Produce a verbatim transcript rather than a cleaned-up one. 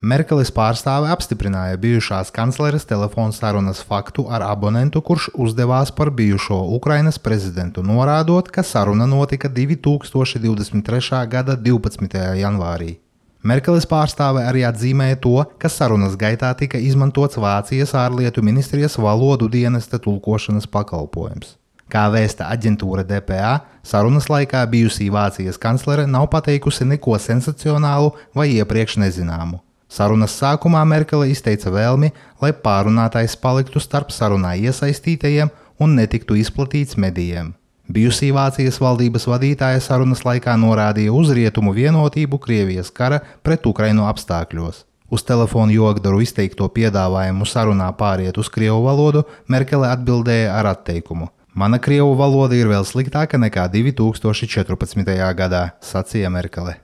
Merkeles pārstāve apstiprināja bijušās kancleres telefona sarunas faktu ar abonentu, kurš uzdevās par bijušo Ukrainas prezidentu, norādot, ka saruna notika divi tūkstoši divdesmit trešā gada divpadsmitajā janvārī. Merkeles pārstāve arī atzīmēja to, ka sarunas gaitā tika izmantots Vācijas ārlietu ministrijas valodu dienesta tulkošanas pakalpojums. Kā vēsta aģentūra D P A, sarunas laikā bijusī Vācijas kanclere nav pateikusi neko sensacionālu vai iepriekš nezināmu. Sarunas sākumā Merkele izteica vēlmi, lai pārunātais paliktu starp sarunā iesaistītajiem un netiktu izplatīts medijiem. Bijusī Vācijas valdības vadītāja sarunas laikā norādīja uz rietumu vienotību Krievijas kara pret Ukrainu apstākļos. Uz telefonu Jogdaru izteikto piedāvājumu sarunā pāriet uz krievu valodu Merkele atbildēja ar atteikumu. Mana krievu valoda ir vēl sliktāka nekā divi tūkstoši četrpadsmitajā gadā, sacīja Merkele.